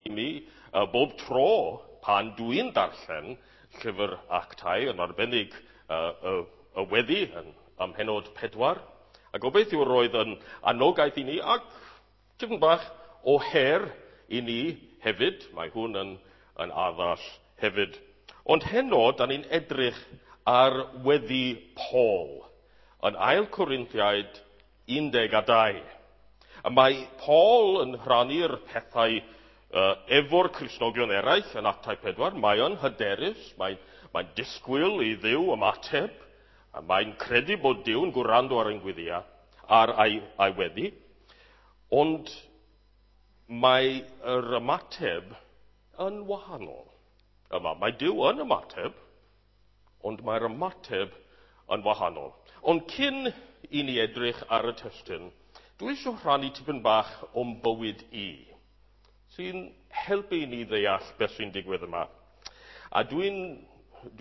I mi, bob tro pan dwi'n darllen llyfr Actau, yn arbennig y weddi yn ym mhennod 4, a gobeithio roedd yn anogaeth i ni ac tipyn bach o her i ni hefyd. Mae hwn yn addas hefyd. Ond heno, da ni'n edrych ar weddi Paul yn Ail Corinthiaid 12. A mae Paul yn rhannu'r pethau efo'r Cristnogion eraill yn Actau 4. Mae o'n hyderus, mae'n disgwyl i Dduw ymateb, a mae'n credu bod Duw'n gwrando ar ein gweddiau, ar ei weddi. Ond mae yr ymateb yn wahanol. Yma, mae Duw yn ymateb, ond mae'r ymateb yn wahanol. Ond cyn i ni edrych ar y testun, dwi eisiau rhannu tipyn bach o'm bywyd i, sy'n helpu i ni ddeall beth sy'n digwydd yma. A dwi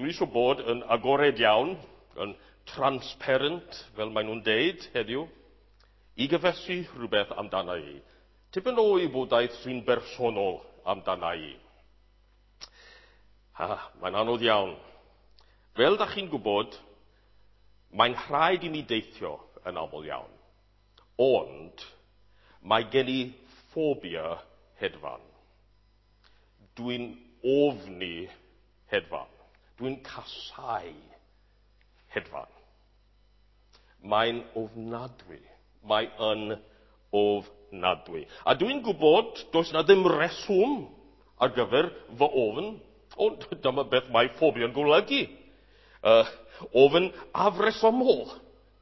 eisiau bod yn agored iawn, yn transparent, fel maen nhw'n deud heddiw, i gyfesu rhywbeth amdana i. Tipyn o wybodaeth sy'n bersonol amdana i. Mae'n anodd iawn. Fel da chi'n gwybod, mae'n rhaid i mi deithio yn aml iawn. Ond mae gen i ffobia hedfan. Dwi'n ofni hedfan. Dwi'n casau hedfan. Mae'n ofnadwy. Mae yn ofnadwy. A dwi'n gwybod does na ddim reswm ar gyfer fy ofn, ond dyma beth mae ffobia'n golygu. Ofn afresymol.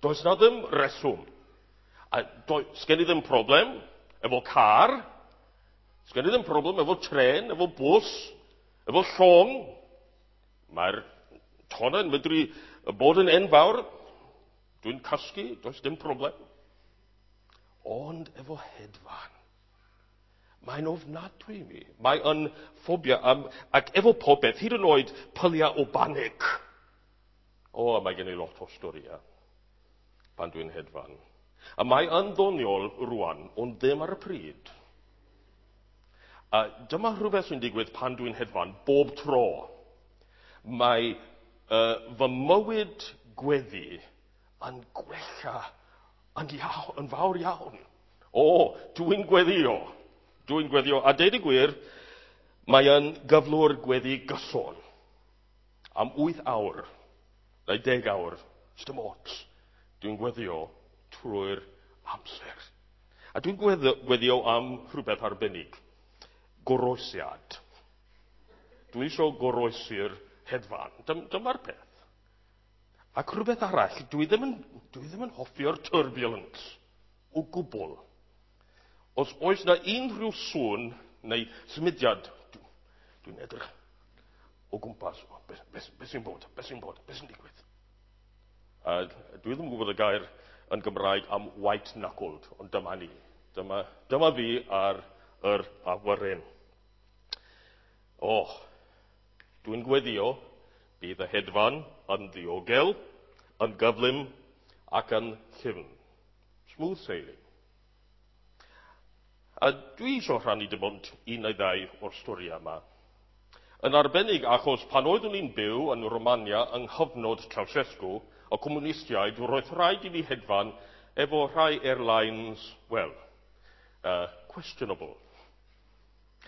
Does na ddim reswm. A sgen i ddim problem efo car, sgen i ddim problem efo tren, efo bws, efo llong. Mae'r tonnau'n medru bod yn enfawr. Dwi'n cysgu, does dim problem. Ond efo hedfan, mae'n ofnadwy i mi. Mae yn ffobia, ac efo popeth, hyd yn oed pyliau o banig. O, mae gen i lot o storïau pan dwi'n hedfan. A mae yn ddoniol rwan, ond ddim ar y pryd. A dyma rhywbeth sy'n digwydd pan dwi'n hedfan bob tro. Mae fy mywyd gweddi yn gwella yn fawr iawn. O, dwi'n gweddio. Dwi'n gweddio. A deud y gwir, mae yn gyflwr gweddi gyson. Am 8 awr, neu 10 awr, dim ots. Dwi'n gweddio trwy'r amser. A dwi'n gweddio am rhywbeth arbennig. Goroesiad. Dwi eisiau goroesi'r hedfan. Dyma'r peth. Ac rhywbeth arall, dwi ddim yn hoffio'r turbulence o gwbl. Os oes na unrhyw sŵn neu symudiad, dwi'n edrych o gwmpas. Beth sy'n bod? Beth sy'n bod? Beth sy'n digwydd? A dwi ddim yn gwybod y gair yn Gymraeg am white-knuckled, ond dyma ni. Dyma fi ar yr awyren. O, dwi'n gweddio bydd y hedfan yn ddiogel, yn gyflym ac yn llyfn. Smooth sailing. A dwi eisiau rhannu dim ond un neu ddau o'r storiau yma. Yn arbennig achos pan oeddwn i'n byw yn Romania yng nghyfnod Ceausescu, y comunistiaid, roedd rhaid i mi hedfan efo rhai airlines, well, questionable.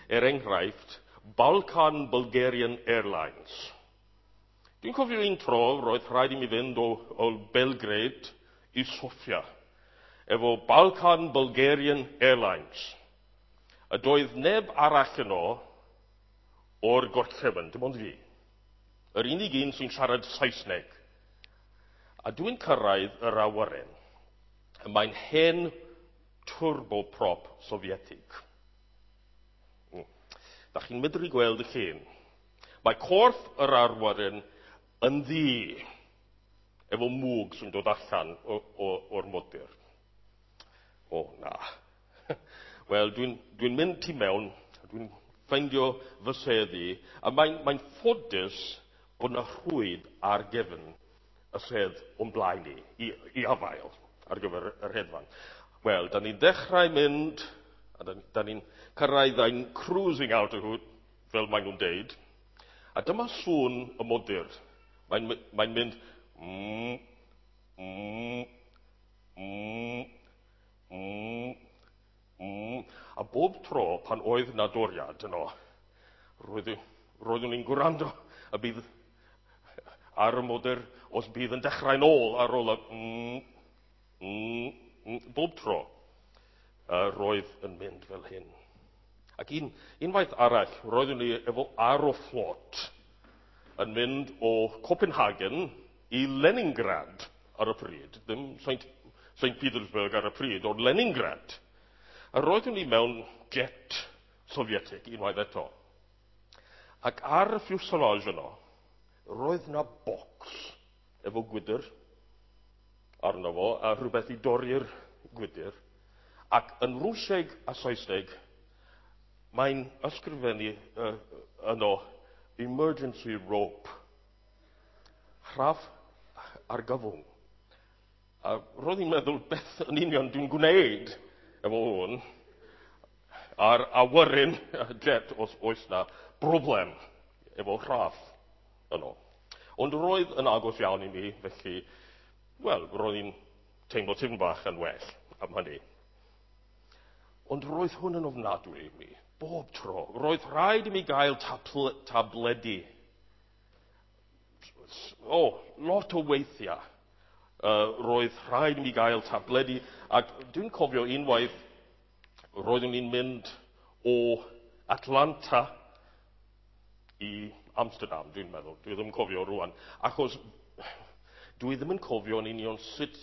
Er enghraifft, Balkan Bulgarian Airlines. Dwi'n cofio un tro, roedd rhaid i mi fynd o Belgrade i Sofia, efo Balkan Bulgarian Airlines. A doedd neb arall yno o'r gorllewin, dim ond fi. Yr unig un sy'n siarad Saesneg. A dwi'n cyrraedd yr awyren. Mae'n hen turboprop Sofietig. Da chi'n medru gweld y llun. Mae corff yr awyren yn ddu, efo mwg sy'n dod allan o'r modur. O, na. Wel, dwi'n mynd tu mewn, dwi'n ffeindio fy sedd i, a mae'n ffodus bod na rhwyd ar gefn y sedd o'n blaen i afael ar gyfer yr hedfan. Wel, da ni'n dechrau mynd, A da ni'n cyrraedd a'n cruising out o hwt, fel maen nhw'n deud. A dyma sŵn y modur. Mae'n mynd mm, mm, mm, mm, mm. A bob tro pan oedd na doriad yno, roeddwn i'n gwrando y bydd ar y modur os bydd yn dechrau'n ôl ar ôl y mm, mm, mm, bob tro roedd yn mynd fel hyn. Ac unwaith arall, roeddwn i efo Aeroflot yn mynd o Copenhagen i Leningrad ar y pryd. Ddim St Petersburg ar y pryd, ond Leningrad. A roeddwn i mewn jet Sofietig unwaith eto. Ac ar y fuselage yno, roedd na bocs efo gwydr arno fo, a rhywbeth i dorri'r gwydr. Ac yn Rwsieg a Saesneg, mae'n ysgrifennu yno emergency rope. Rhaff argyfwng. A roedd hi'n meddwl beth yn union dwi'n gwneud efo hwn ar awyren jet os oes na broblem efo rhaff yno. Ond roedd yn agos iawn i mi, felly, wel, roedd hi'n teimlo tipyn bach yn well am hynny. Ond roedd hwn yn ofnadwy i mi, bob tro. Roedd rhaid i mi gael tabledi. O, lot o weithiau. Roedd rhaid i mi gael tabledi. Ac dwi'n cofio unwaith, roeddwn i'n mynd o Atlanta i Amsterdam, dwi'n meddwl. Dwi ddim yn cofio rwan. Achos dwi ddim yn cofio yn union sut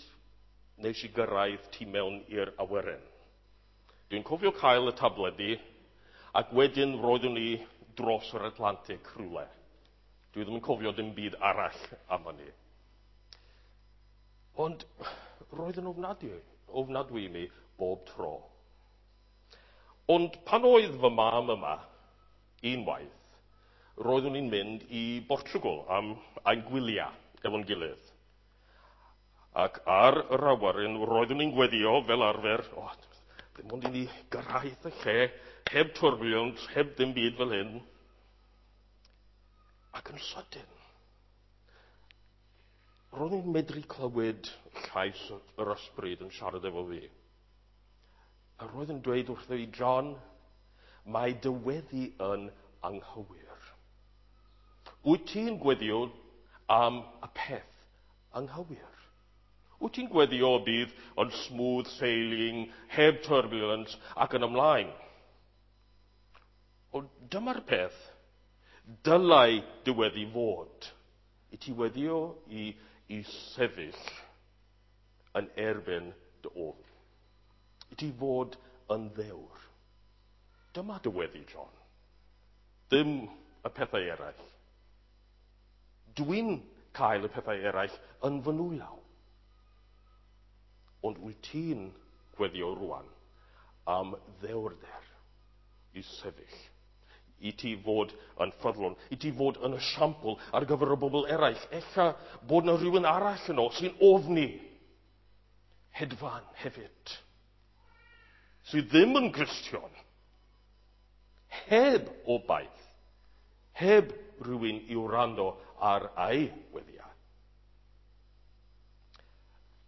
nes i gyrraedd tu mewn i'r awyren. Dwi'n cofio cael y tabledi, ac wedyn roeddwn i dros yr Atlantic rhywle. Dwi ddim yn cofio dim byd arall am hynny. Ond roedd yn ofnadwy i mi bob tro. Ond pan oedd fy mam yma, unwaith, roeddwn i'n mynd i Portugal am ein gwyliau efo'n gilydd. Ac ar yr awyren, roeddwn i'n gweddio fel arfer, oh, ddim ond i ni gyrraedd y lle, heb turbulence, heb ddim byd fel hyn. Ac yn sydyn, roeddwn i'n medru clywed llais yr ysbryd yn siarad efo fi. A roedd yn dweud wrtho i, John, mae dy weddi yn anghywir. Wyt ti'n gweddio am y peth anghywir? Wyt ti'n gweddio y bydd yn smooth sailing, heb turbulence ac yn ymlaen? Ond dyma'r peth dylai dy weddi fod. I ti weddio i sefyll yn erbyn dy ofn. I ti fod yn ddewr. Dyma dy weddi, John. Ddim y pethau eraill. Dwi'n cael y pethau eraill yn fy nwylaw. Ond wyt ti'n gweddio rwan am ddewrder i sefyll, i ti fod yn ffyddlon, i ti fod yn esiampl ar gyfer y bobl eraill. Ella bod na rhywun arall yno sy'n ofni hedfan hefyd, sydd ddim yn Gristion, heb obaith, heb rhywun i wrando ar ei weddiau.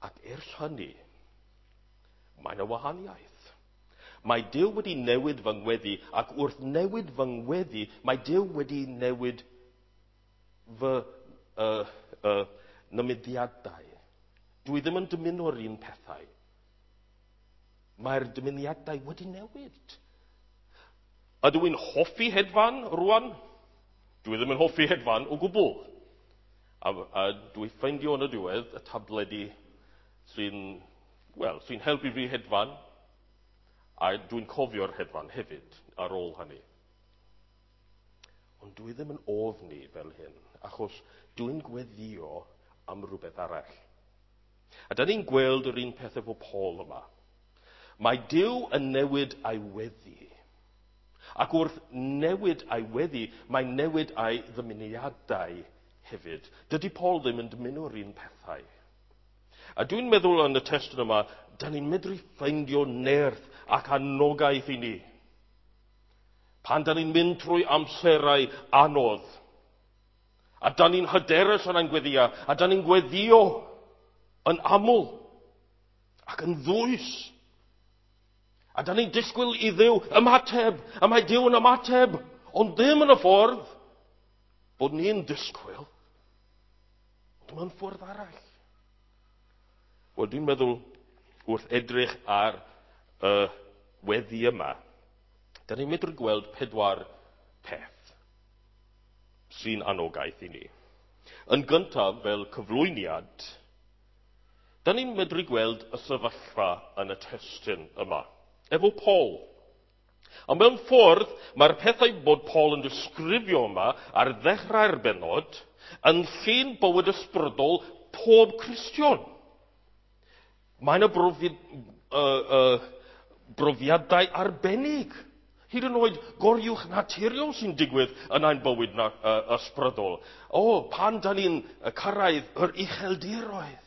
Ac ers hynny, mae yna wahaniaeth. Mae Duw wedi newid fy ngweddi, ac wrth newid fy ngweddi, mae Duw wedi newid fy nymuniadau. Dwi ddim yn dymuno'r un pethau. Mae'r dymuniadau wedi newid. Ydw i'n hoffi hedfan rwan? Dwi ddim yn hoffi hedfan o gwbl. A dwi ffeindio yn y diwedd y tabledi sy'n helpu fi hedfan. A dwi'n cofio'r hedfan hefyd ar ôl hynny. Ond dwi ddim yn ofni fel hyn, achos dwi'n gweddio am rhywbeth arall. A da ni'n gweld yr un peth efo Paul yma. Mae Duw yn newid ei weddi. Ac wrth newid ei weddi, mae'n newid ei ddymuniadau hefyd. Dydy Paul ddim yn dymuno'r un pethau. A dwi'n meddwl yn y testun yma, da ni'n medru ffeindio nerth ac anogaeth i ni. Pan da ni'n mynd trwy amserau anodd, a da ni'n hyderus yn ein gweddio, a da ni'n gweddio yn aml ac yn ddwys. A da ni'n disgwyl i Dduw ymateb, a mae Duw yn ymateb, ond ddim yn y ffordd bod ni'n disgwyl, ond mewn ffordd arall. Wel, dwi'n meddwl wrth edrych ar y weddi yma, da ni'n medru gweld 4 peth sy'n anogaeth i ni. Yn gyntaf, fel cyflwyniad, da ni'n medru gweld y sefyllfa yn y testun yma, efo Paul. A mewn ffordd, mae'r pethau bod Paul yn disgrifio yma ar ddechrau'r bennod yn llun bywyd ysbrydol pob Cristion. Mae yna brofiadau arbennig, hyd yn oed goriwch naturiol sy'n digwydd yn ein bywyd ysbrydol. O, pan da ni'n cyrraedd yr ucheldiroedd.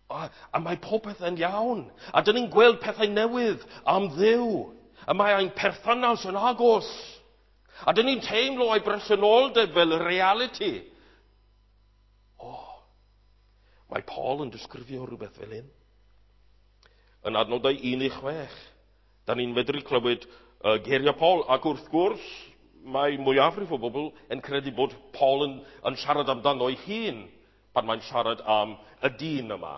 A mae popeth yn iawn. A dyn ni'n gweld pethau newydd am Dduw. A mae ein perthynas yn agos. A dyn ni'n teimlo ei bresenoldeb fel reality. O, mae Paul yn disgrifio rhywbeth fel hyn. Yn adnodau 1-6, da ni'n medru clywed geiriau Paul, ac wrth gwrs, mae mwyafrif o bobl yn credu bod Paul yn siarad amdano ei hun pan mae'n siarad am y dyn yma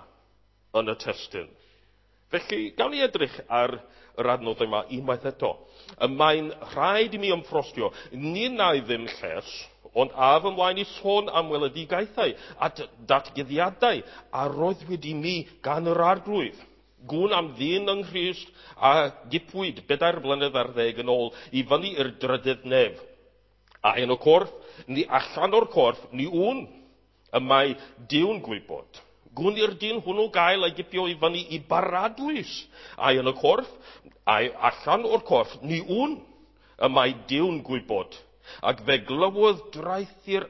yn y testun. Felly, gawn ni edrych ar yr adnodau yma unwaith eto. Y mae'n rhaid i mi ymffrostio, ni wna i ddim lles, ond af ymlaen i sôn am weledigaethau a datguddiadau a roddwyd i mi gan yr Arglwydd. Gwn am ddyn yng Nghrist a gipwyd 4 blynedd ar ddeg yn ôl i fyny i'r drydydd nef. A yn y corff, ni allan o'r corff, ni wn, y mae Duw'n gwybod. Gwn i'r dyn hwnnw gael ei gipio i fyny i baradwys. Ai yn y corff, ai allan o'r corff, ni wn, y mae Duw'n gwybod. Ac fe glywodd draethu'r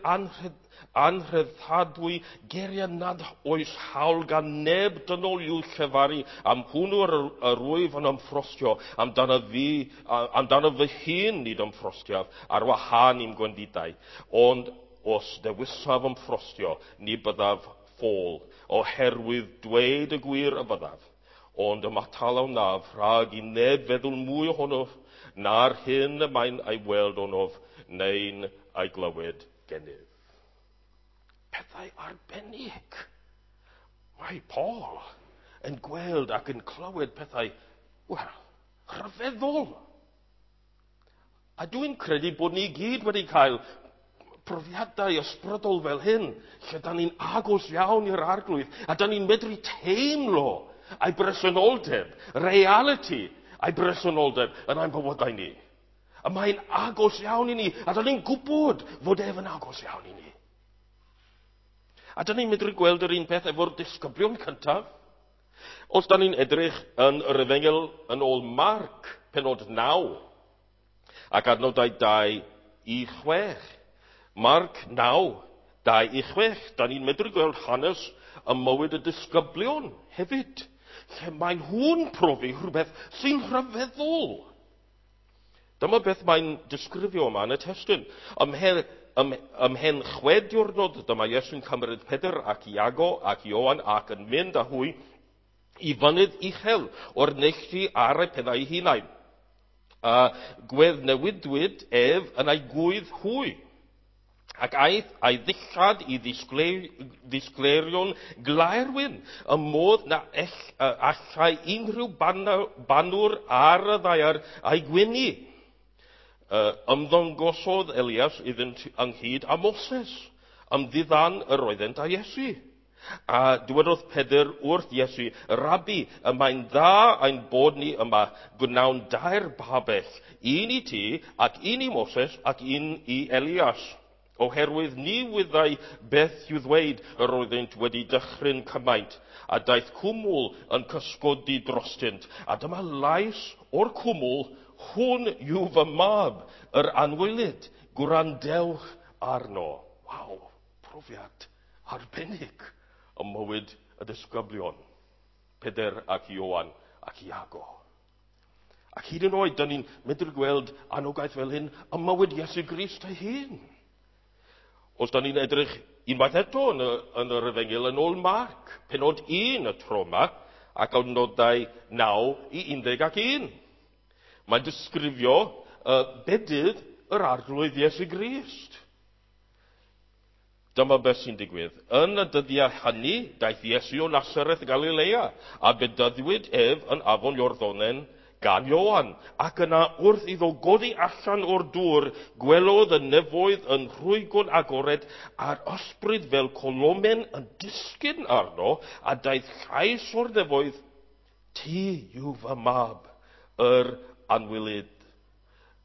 anrhyddhadwy geiriau nad oes hawl gan neb dynol i'w llefaru, am hwnnw yr wyf yn ymffrostio, amdano fy hun nid ymffrostiaf, ar wahân i'm gwendidau. Ond os dewisaf ymffrostio, ni byddaf ffôl, oherwydd dweud y gwir y byddaf. Ond ymatal a wnaf rhag i neb feddwl mwy ohonof na'r hyn y mae'n ei weld onof neu'n ei glywed gennyf. Pethau arbennig. Mae Paul yn gweld ac yn clywed pethau, wel, rhyfeddol. A dwi'n credu bod ni gyd wedi cael profiadau ysbrydol fel hyn, lle da ni'n agos iawn i'r Arglwydd, a da ni'n medru teimlo ei bresenoldeb, reality ei bresenoldeb yn ein bywydau ni. A mae'n agos iawn i ni, a da ni'n gwybod fod ef yn agos iawn i ni. A da ni'n medru gweld yr un peth efo'r disgyblion cyntaf. Os da ni'n edrych yn yr Efengyl yn ôl Marc, pennod 9, ac adnodau 2-6. Marc 9, 2-6. Da ni'n medru gweld hanes ym mywyd y disgyblion hefyd, lle mae nhw'n profi rhywbeth sy'n rhyfeddol. Dyma beth mae'n disgrifio yma yn y testun. Ymhen 6 diwrnod, dyma Iesu'n cymryd Pedr ac Iago ac Ioan ac yn mynd â hwy i fynydd uchel o'r neilltu ar eu pennau eu hunain. A gweddnewidwyd ef yn ei gwydd hwy. Ac aeth a'i ddillad i ddisgleirio'n glaerwyn, y modd na allai unrhyw banwr ar y ddaear a'i gwynu. Ymddangosodd Elias iddynt ynghyd â Moses, ymddiddan yr oeddent â Iesu. A dywedodd Pedr wrth Iesu, Rabbi, y mae'n dda ein bod ni yma, gwnawn 2 babell, un i ti, ac un i Moses, ac un i Elias. Oherwydd ni wyddai beth i'w ddweud yr oeddynt wedi dychryn cymaint, a daeth cwmwl yn cysgodi drostynt. A dyma lais o'r cwmwl, hwn yw fy mab, yr anwylyd, gwrandewch arno. Waw, profiad arbennig ym mywyd y disgyblion, Pedr ac Ioan ac Iago. Ac hyd yn oed, da ni'n medru gweld anogaeth fel hyn ym mywyd Iesu Grist ei hun. Os da ni'n edrych unwaith eto yn yr Efengyl yn ôl Marc, penod 1 y tro yma, ac adnodau 9 i 11. Mae'n disgrifio bedydd yr Arglwydd Iesu Grist. Dyma beth sy'n digwydd. Yn y dyddiau hynny, daeth Iesu o Nasareth Galilea, a bedyddiwyd ef yn afon Iorddonen gan Ioan, ac yna wrth iddo godi allan o'r dŵr, gwelodd y nefoedd yn rhwygo'n agored a'r ysbryd fel colomen yn disgyn arno, a daeth llais o'r nefoedd, "Ti yw fy mab, yr anwylyd,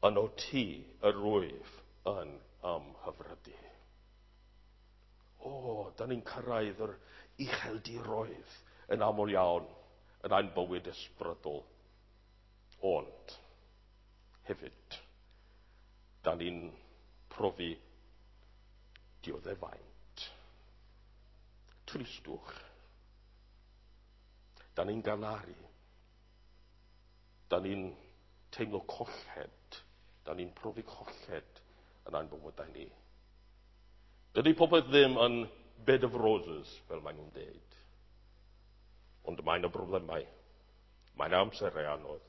yno ti yr wyf yn ymhyfrydu." O, da ni'n cyrraedd yr ucheldiroedd yn aml iawn yn ein bywyd ysbrydol. Ond, hefyd, da ni'n profi dioddefaint, tristwch. Da ni'n galaru. Da ni'n teimlo colled. Da ni'n profi colled yn ein bywydau ni. Dydy popeth ddim yn bed of roses, fel maen nhw'n deud. Ond mae yna broblemau. Mae yna amserau anodd.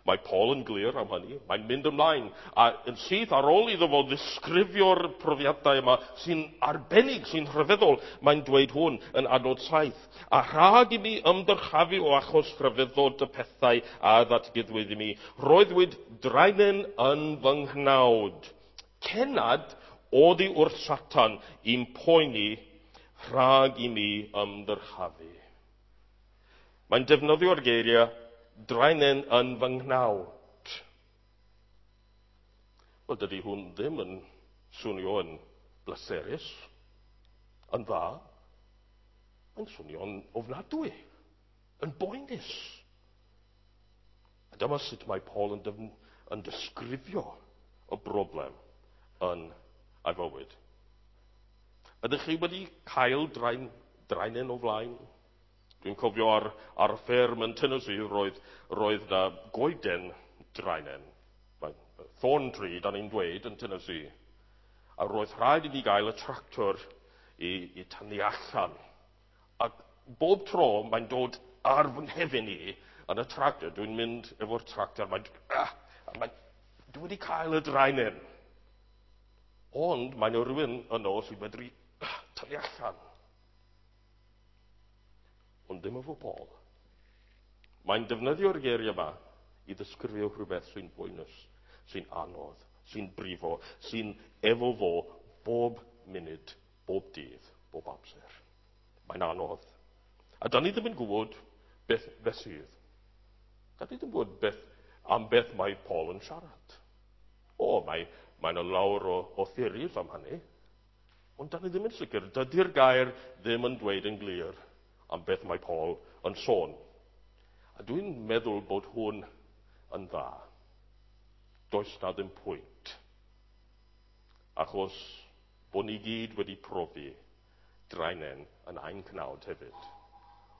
Mae Paul yn glir am hynny. Mae'n mynd ymlaen. A yn syth ar ôl iddo fo ddisgrifio'r profiadau yma sy'n arbennig, sy'n rhyfeddol, mae'n dweud hwn yn adnod 7. "A rhag i mi ymddyrchafu o achos rhyfeddod y pethau a ddatguddwyd i mi, roeddwyd draenen yn fy nghnawd, cenad oddi wrth Satan i'm poeni rhag i mi ymddyrchafu." Mae'n defnyddio'r geiriau "draenen yn fy nghnawd". Wel, dydy hwn ddim yn swnio yn bleserus, yn dda. Mae'n swnio'n ofnadwy, yn boenus. A dyma sut mae Paul yn disgrifio y broblem yn ei fywyd. Ydych chi wedi cael draenen o flaen? Dwi'n cofio ar y fferm yn Tennessee roedd na goeden draenen. Thorn tree, da ni'n dweud yn Tennessee. A roedd rhaid i ni gael y tractor i tynnu allan. Ac bob tro mae'n dod ar fy nghefn i yn y tractor. Dwi'n mynd efo'r tractor, dwi wedi cael y draenen. Ond mae yna rhywun yno sy'n medru tynnu allan. Ond ddim efo Paul. Mae'n defnyddio'r geiriau yma i ddisgrifio rhywbeth sy'n boenus, sy'n anodd, sy'n brifo, sy'n efo fo bob munud, bob dydd, bob amser. Mae'n anodd. A da ni ddim yn gwybod beth sydd. Da ni ddim yn gwybod am beth mae Paul yn siarad. O, mae yna lawer o theories am hynny. Ond da ni ddim yn sicr. Dydy'r gair ddim yn dweud yn glir am beth mae Paul yn sôn. A dwi'n meddwl bod hwn yn dda. Does na ddim pwynt. Achos bod ni gyd wedi profi draenen yn ein cnawd hefyd.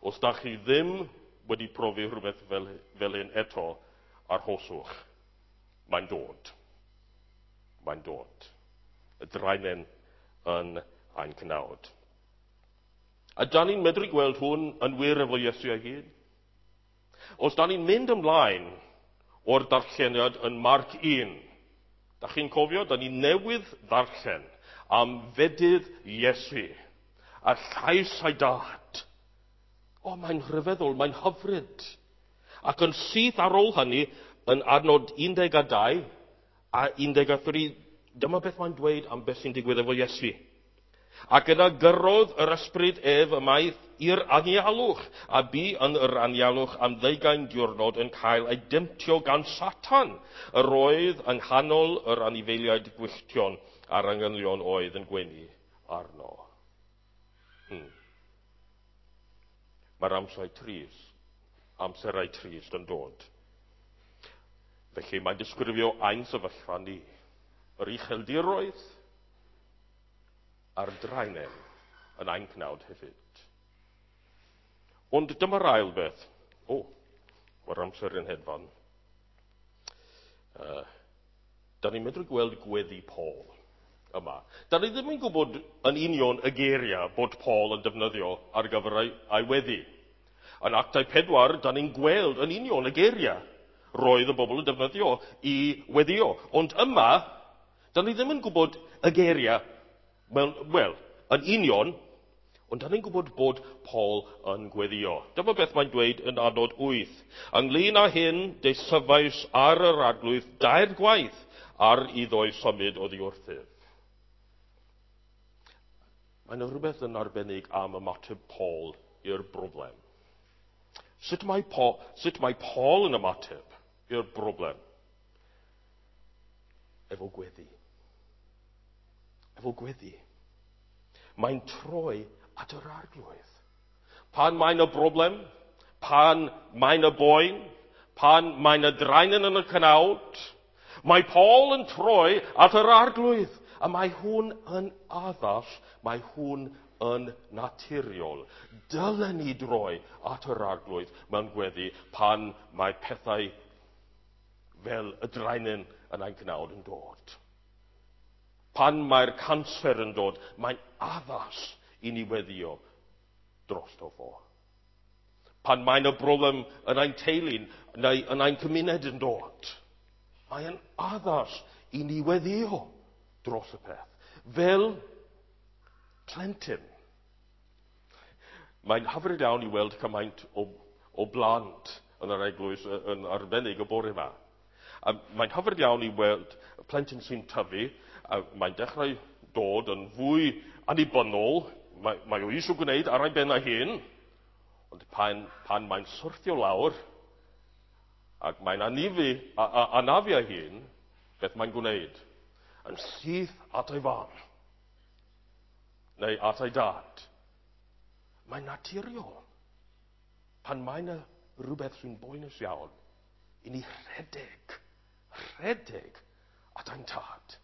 Os da chi ddim wedi profi rhywbeth fel hyn eto, arhoswch. Mae'n dod. Mae'n dod. Y draenen yn ein cnawd. A da ni'n medru gweld hwn yn wir efo Iesu ei hun. Os da ni'n mynd ymlaen o'r darlleniad yn Marc 1, da chi'n cofio, da ni newydd ddarllen am fedydd Iesu a llais ei dad. O, mae'n rhyfeddol, mae'n hyfryd. Ac yn syth ar ôl hynny, yn adnod 12 a 13, dyma beth mae'n dweud am beth sy'n digwydd efo Iesu. Ac yna gyrrodd yr ysbryd ef ymaith i'r anialwch, a bu yn yr anialwch am 20 diwrnod yn cael ei demtio gan Satan. Yr oedd yng nghanol yr anifeiliaid gwylltion a'r angylion oedd yn gwenu arno. Mae'r amserau trist yn dod. Felly mae'n disgrifio ein sefyllfa ni, yr ucheldiroedd a'r draenen yn ein cnawd hefyd. Ond dyma'r ail beth. O, mae'r amser yn hedfan. Da ni'n medru gweld gweddi Paul yma. Da ni ddim yn gwybod yn union y geiriau bod Paul yn defnyddio ar gyfer ei weddi. Yn Actau 4, da ni'n gweld yn union y geiriau roedd y bobl yn defnyddio i weddio. Ond yma, da ni ddim yn gwybod y geiriau, wel, yn union, ond da ni'n gwybod bod Paul yn gweddio. Dyma beth mae'n dweud yn adnod 8. Ynglyn â hyn, deisyfais ar yr Arglwydd dair gwaith ar iddo'i symud oddi wrthyf. Mae yna rhywbeth yn arbennig am ymateb Paul i'r broblem. Sut mae Paul yn ymateb i'r broblem? Efo gweddi. Efo gweddi. Mae'n troi at yr Arglwydd. Pan mae'n y broblem, pan mae'n y boen, pan mae'n y draenen yn y cnawd, mae Paul yn troi at yr Arglwydd. A mae hwn yn addas, mae hwn yn naturiol. Dylen ni droi at yr Arglwydd mewn gweddi pan mae pethau fel y draenen yn ein cnawd yn dod. Pan mae'r canser yn dod, mae'n addas i ni weddio drosto fo. Pan mae'n y broblem yn ein teulu neu yn ein cymuned yn dod, mae'n addas i ni weddio dros y peth. Fel plentyn. Mae'n hyfryd iawn i weld cymaint o blant yn yr eglwys yn arbennig y bore yma. A mae'n hyfryd iawn i weld plentyn sy'n tyfu, a mae'n dechrau dod yn fwy annibynnol, mae o eisiau gwneud ar ei ben ei hun, ond pan mae'n syrthio lawr ac mae'n anafu ei hun, beth mae'n gwneud? Yn syth at ei fam, neu at ei dad. Mae'n naturiol. Pan mae'n rhywbeth sy'n boenus iawn, i ni rhedeg at ein tad.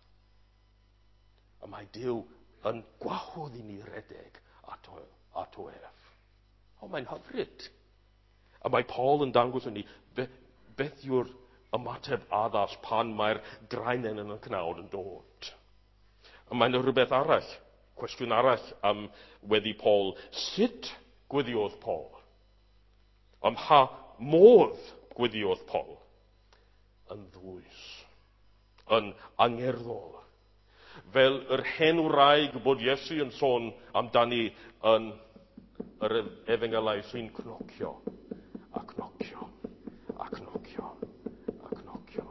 A mae Duw yn gwahodd i ni redeg ato ef. O, mae'n hyfryd. A mae Paul yn dangos i ni beth yw'r ymateb addas pan mae'r draenen yn y cnawd yn dod. A mae'n rhywbeth arall, cwestiwn arall am weddi Paul. Sut gweddiodd Paul? Am ha modd gweddiodd Paul? Yn ddwys, yn angerddol. Fel yr hen wraig bod Iesu yn sôn amdani yn yr efengylau sy'n cnocio, a cnocio, a cnocio, a cnocio,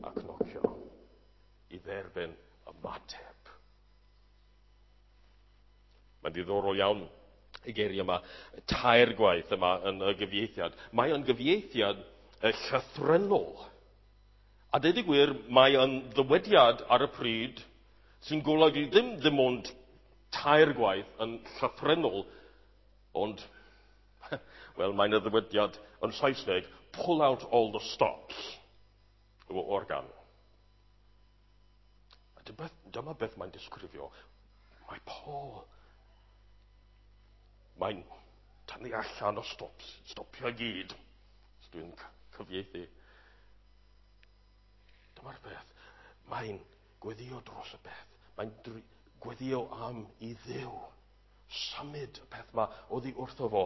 a cnocio, i dderbyn ymateb. Mae'n ddiddorol iawn y geiriau yma, tair gwaith yma yn y gyfieithiad. Mae yn gyfieithiad llythrennol. A deud y gwir, mae yn ddywediad ar y pryd sy'n golygu ddim ond tair gwaith yn llythrennol, ond, wel, mae'n y ddywediad yn Saesneg, pull out all the stops o organ. A dyma beth mae'n disgrifio. Mae Paul, mae'n tynnu allan o stops, stopio gyd. Os dwi'n cyfieithu. Dyma'r peth. Mae'n gweddio dros y peth. Mae'n gweddio am i Dduw. Symud y peth yma oddi wrtho fo.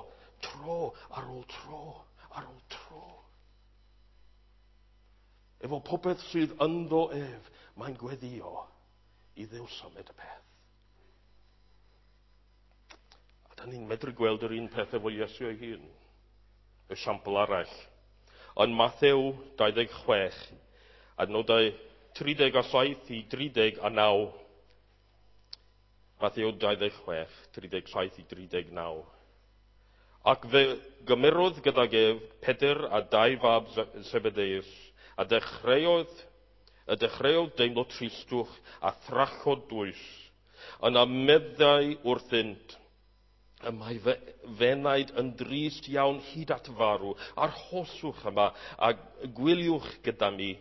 Tro ar ôl tro, ar ôl tro. Efo popeth sydd ynddo ef, mae'n gweddio i Dduw symud y peth. A da ni'n medru gweld yr un peth efo Iesu ei hun. Esiampl arall. Yn Mathew 26, adnodau 37 i 39. Mathew 26, 37 i 39. Ac fe gymerodd gydag ef Pedr a dau fab Zebedeus, a dechreuodd deimlo tristwch a thrachod dwys. Yna meddai wrthynt, y mae fenaid yn drist iawn hyd at farw, arhoswch yma a gwyliwch gyda mi.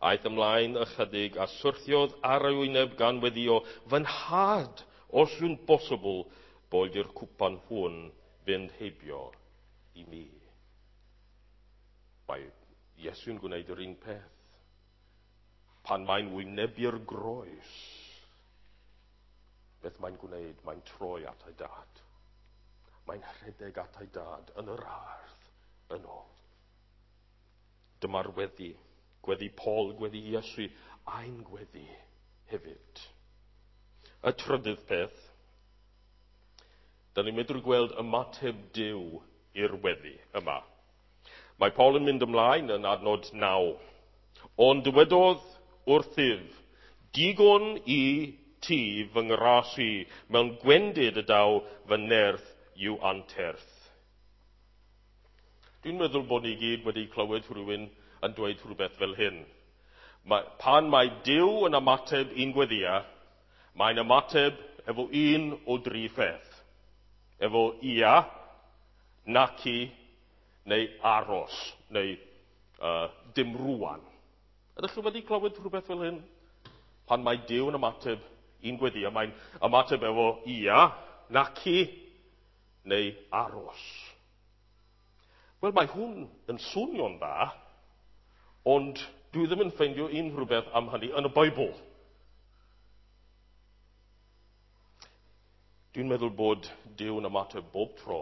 Aeth ymlaen ychydig a syrthiodd ar ei wyneb gan weddio, fy nhad, os yw'n bosibl, boed i'r cwpan hwn fynd heibio i mi. Mae Iesu'n gwneud yr un peth. Pan mae'n wynebu'r groes, beth mae'n gwneud? Mae'n troi at ei dad. Mae'n rhedeg at ei dad yn yr ardd yn ôl. Dyma'r weddi. Gweddi Paul, gweddi Iesu, a'n gweddi hefyd. Y trydydd peth, da ni'n medru gweld ymateb Duw i'r weddi yma. Mae Paul yn mynd ymlaen yn adnod 9. Ond dywedodd wrthyf, digon i ti fy ngras i, mewn gwendid y daw fy nerth i'w anterth. Dwi'n meddwl bod ni gyd wedi clywed rhywun yn dweud rhywbeth fel hyn. Pan mae Duw yn ymateb i'n gweddia, mae'n ymateb efo un o dri pheth. Efo ia, naci, neu aros, neu dim rwan. Ydych chi wedi clywed rhywbeth fel hyn? Pan mae Duw yn ymateb i'n gweddia, mae'n ymateb efo ia, naci, neu aros. Wel, mae hwn yn swnio'n dda, ond dwi ddim yn ffeindio unrhyw beth am hynny yn y Beibl. Dwi'n meddwl bod Duw yn ymateb bob tro,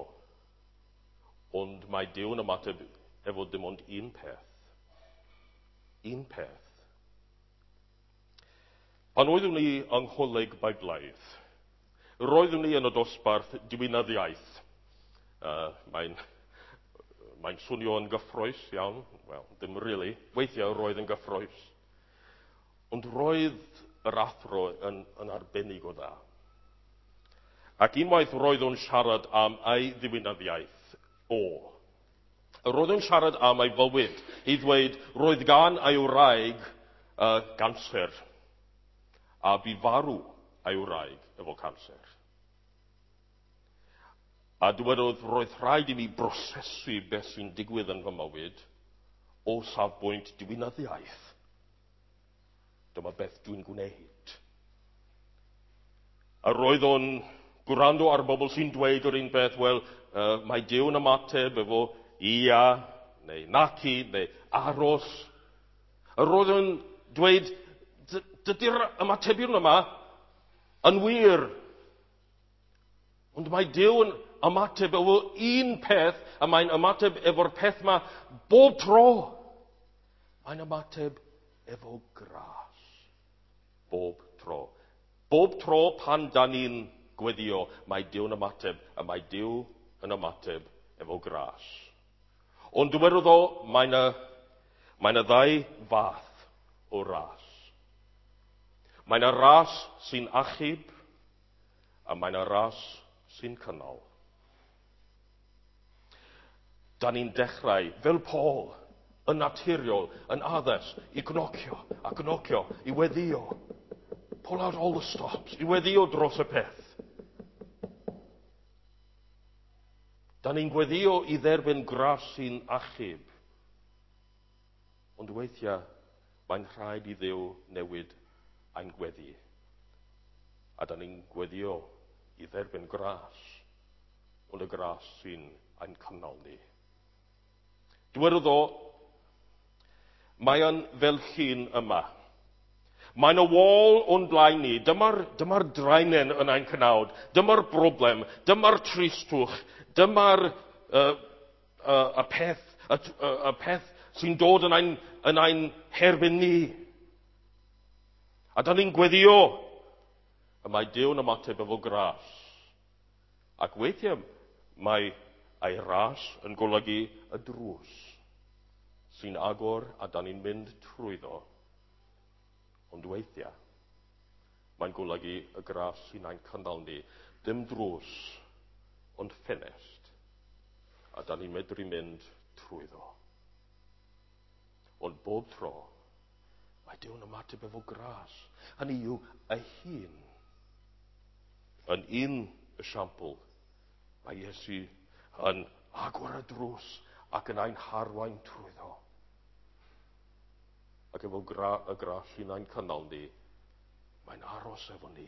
ond mae Duw yn ymateb efo dim ond un peth. Un peth. Pan oeddwn i yng Ngholeg Beiblaidd, roeddwn i yn y dosbarth diwinyddiaeth. Mae'n swnio yn gyffrous iawn. Wel, ddim really. Weithiau roedd yn gyffrous. Ond roedd yr athro yn arbennig o dda. Ac unwaith roedd o'n siarad am ei ddiwinyddiaeth o. Roedd o'n siarad am ei fywyd i ddweud roedd gan ei wraig ganser. A bu farw ei wraig efo canser. A dywedodd, roedd rhaid i mi brosesu beth sy'n digwydd yn fy mywyd o safbwynt diwinyddiaeth. Dyma beth dwi'n gwneud. A roedd o'n gwrando ar bobl sy'n dweud yr un peth, wel, mae Duw yn ymateb efo ia, neu naci, neu aros. A roedd o'n dweud, dydy'r ymatebion yma yn wir. Ond mae Duw yn ymateb efo un peth, a mae'n ymateb efo'r peth yma bob tro. Mae'n ymateb efo gras. Bob tro. Bob tro pan da ni'n gweddio, mae Duw yn ymateb, a mae Duw yn ymateb efo gras. Ond dywedodd o, mae yna ddau fath o ras. Mae yna ras sy'n achub, a mae yna ras sy'n cynnal. Da ni'n dechrau, fel Paul, yn naturiol, yn addas, i gnocio, a gnocio, i weddio. Pull out all the stops, i weddio dros y peth. Da ni'n gweddio i dderbyn gras sy'n achub. Ond weithiau, mae'n rhaid i Dduw newid ein gweddi. A da ni'n gweddio i dderbyn gras, ond y gras sy'n ein cynnal ni. Dywedodd o, mae yn fel llun yma. Mae'n y wal o'n blaen ni. Dyma'r draenen yn ein cnawd. Dyma'r broblem. Dyma'r tristwch. Dyma'r y peth sy'n dod yn ein herbyn ni. A da ni'n gweddio. A mae Duw yn ymateb efo gras. Ac weithiau mae ei ras yn golygu y drws sy'n agor a da ni'n mynd trwyddo. Ond weithiau mae'n golygu y gras sy'n ein cynnal ni. Dim drws, ond ffenest. A da ni'n medru mynd trwyddo. Ond bob tro, mae Duw'n ymateb efo gras. Hynny yw, ei hun. Yn un esiampl, mae Iesu yn agor y drws ac yn ein harwain trwyddo. Ac efo y gras sy'n ein cynnal ni, mae'n aros efo ni.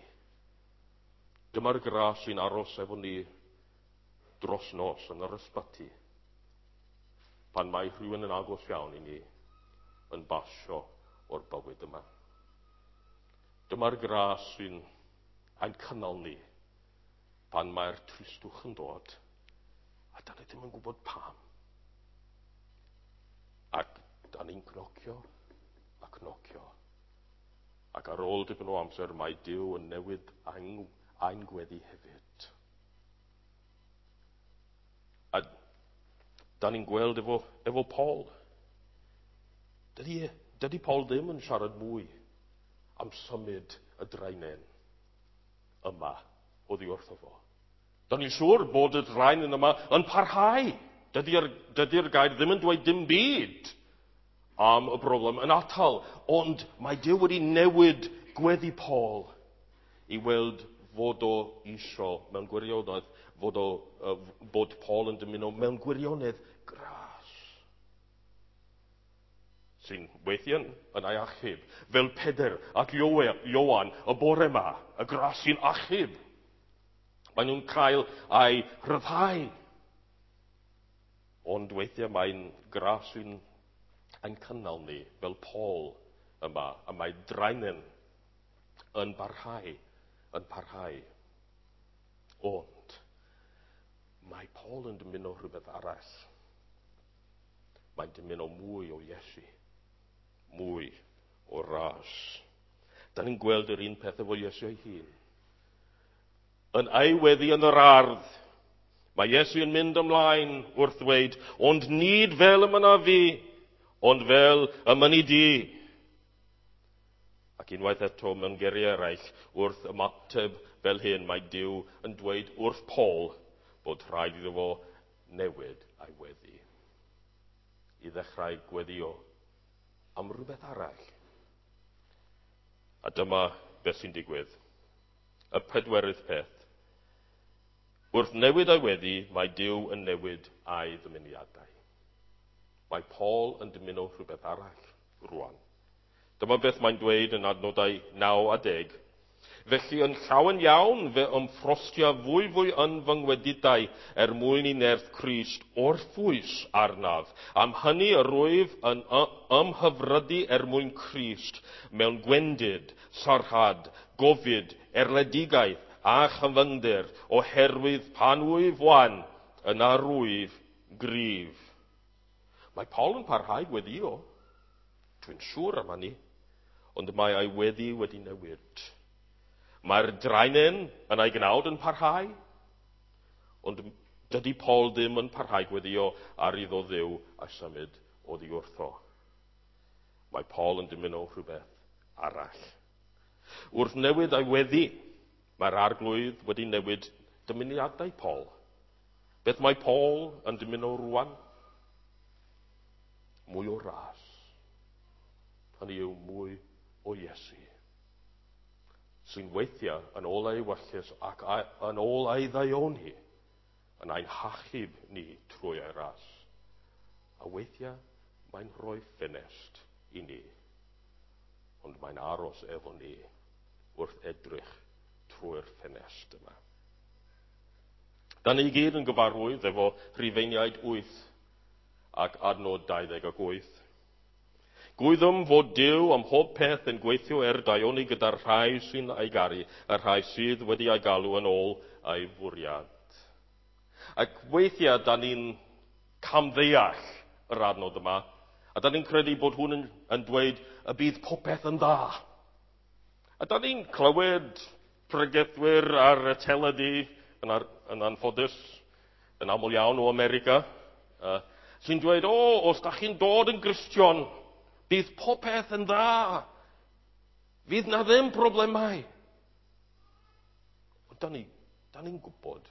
Dyma'r gras sy'n aros efo ni dros nos yn yr ysbyty. Pan mae rhywun yn agos iawn i ni yn basio o'r bywyd yma. Dyma'r gras sy'n ein cynnal ni pan mae'r tristwch yn dod, a da ni ddim yn gwybod pam. Ac da ni'n cnocio a cnocio. Ac ar ôl dipyn o amser mae Duw yn newid ein gweddi hefyd. A da ni'n gweld efo Paul. Dydy Paul ddim yn siarad mwy am symud y draenen yma oddi wrtho fo. Da ni'n siŵr bod y draenen yma yn parhau. Dydy'r gair ddim yn dweud dim byd am y broblem yn atal, ond mae Duw wedi newid gweddi Paul i weld fod o isio mewn gwirionedd, bod Paul yn dymuno mewn gwirionedd gras sy'n weithiau yn ei achub, fel Pedr ac Ioan y bore yma, y gras sy'n achub. Maen nhw'n cael ei rhyddhau. Ond weithiau mae'n gras sy'n ein cynnal ni, fel Paul yma, a mae draenen yn parhau, yn parhau. Ond mae Paul yn dymuno rhywbeth arall. Mae'n dymuno mwy o Iesu, mwy o ras. Da ni'n gweld yr un peth efo Iesu ei hun. Yn ei weddi yn yr ardd, mae Iesu yn mynd ymlaen wrth ddweud, ond nid fel y mynna fi, ond fel y mynni di. Ac unwaith eto mewn geiriau eraill, wrth ymateb fel hyn, mae Duw yn dweud wrth Paul bod rhaid iddo fo newid ei weddi. I ddechrau gweddio am rhywbeth arall. A dyma beth sy'n digwydd. Y pedwerydd peth. Wrth newid ei weddi, mae Duw yn newid ei ddymuniadau. Mae Paul yn dymuno rhywbeth arall rwan. Dyma beth mae'n dweud yn adnodau 9 a 10. Felly yn llawen iawn fe ymffrostia fwyfwy yn fy ngwedidau er mwyn i nerth Crist orffwys arnaf. Am hynny yr wyf yn ymhyfrydu er mwyn Crist mewn gwendid, sarhad, gofid, erledigaeth a chyfyngder, oherwydd pan wyf wan, yna rwyf gryf. Mae Paul yn parhau gweddio. Dwi'n siŵr am hynny. Ond mae ei weddi wedi newid. Mae'r draenen yn ei gnawd yn parhau, ond dydy Paul ddim yn parhau gweddio ar iddo Dduw a symud oddi wrtho. Mae Paul yn dymuno rhywbeth arall. Wrth newid ei weddi, mae'r Arglwydd wedi newid dymuniadau Paul. Beth mae Paul yn dymuno rwan? Mwy o ras. Hynny yw mwy o Iesu. Sy'n weithiau yn ôl ei ewyllys ac yn ôl ei ddaioni yn ein hachub ni trwy ei ras. A weithiau mae'n rhoi ffenest i ni, ond mae'n aros efo ni wrth edrych trwy'r ffenest yma. Da ni gyd yn gyfarwydd efo Rhufeiniaid 8 ac adnod 28. Gwyddom fod Duw am hob peth yn gweithio er daioni gyda'r rhai sy'n ei garu, y rhai sydd wedi ei galw yn ôl ei fwriad. Ac weithiau da ni'n camddeall yr adnod yma, a da ni'n credu bod hwn yn dweud y bydd popeth yn dda. A da ni'n clywed pregethwyr ar y teledu yn anffodus, yn aml iawn o America, sy'n dweud, o, os da chi'n dod yn Gristion, bydd popeth yn dda. Fydd na ddim problemau. Ond da ni'n gwybod,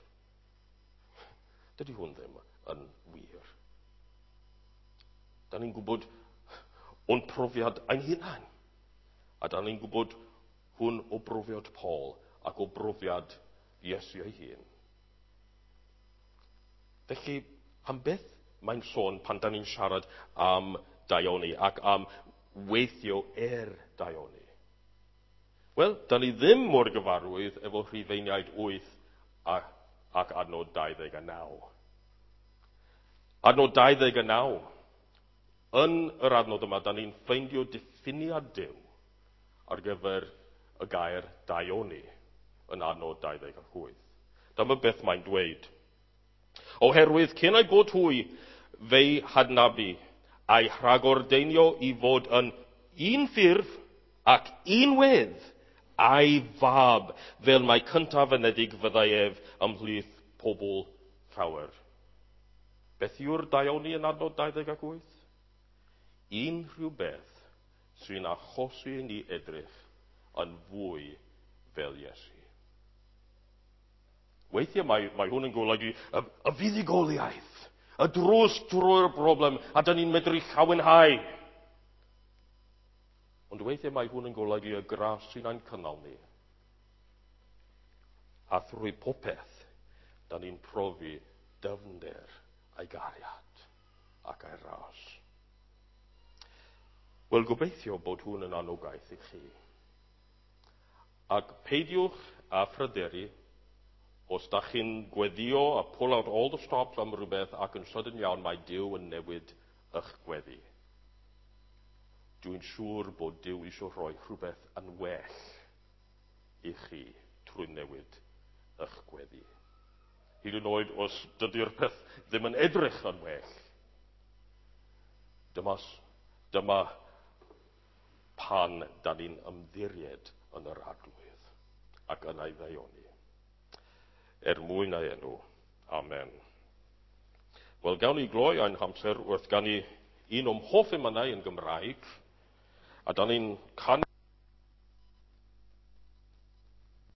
dydy hwn ddim yn wir. Da ni'n gwybod o'n profiad ein hunain. A da ni'n gwybod hwn o brofiad Paul ac o brofiad Iesu ei hun. Felly, am beth mae'n sôn pan da ni'n siarad am daioni ac am weithio er daioni? Wel, da ni ddim mor gyfarwydd efo Rhufeiniaid 8 ac adnod 29. Adnod 29. Yn yr adnod yma, da ni'n ffeindio diffiniad Duw ar gyfer y gair daioni yn adnod 28. Dyma beth mae'n dweud. Oherwydd cyn ei bod hwy fe'i hadnabu a'i rhagordeinio i fod yn un ffurf ac un wedd a'i fab, fel mai cyntaf anedig fyddai ef ymhlith pobl llawer. Beth yw'r daioni yn adnod 28? Unrhyw beth sy'n achosi i ni edrych yn fwy fel Iesu. Weithiau mae hwn yn golygu y fuddugoliaeth, y drws drwy'r broblem, a dyn ni'n medru llawenhau. Ond weithiau mae hwn yn golygu y gras sy'n ein cynnal ni. A thrwy popeth, dyn ni'n profi dyfnder a'i gariad ac a'i ras. Wel, gobeithio bod hwn yn anogaeth i chi. Ac peidiwch â phryderu os da chi'n gweddio a pull out all the stops am rhywbeth ac yn sydyn iawn mae Duw yn newid eich gweddi. Dwi'n siŵr bod Duw eisiau rhoi rhywbeth yn well i chi trwy newid eich gweddi. Hyd yn oed os dydy'r peth ddim yn edrych yn well. Dyma pan da ni'n ymddiried yn yr Arglwydd ac yn ei ddaioni. Er mwyn ei enw. Amen. Wel, gawn ni gloi ein hamser wrth ganu un o'm hoff emynau yn Gymraeg, a da ni'n canu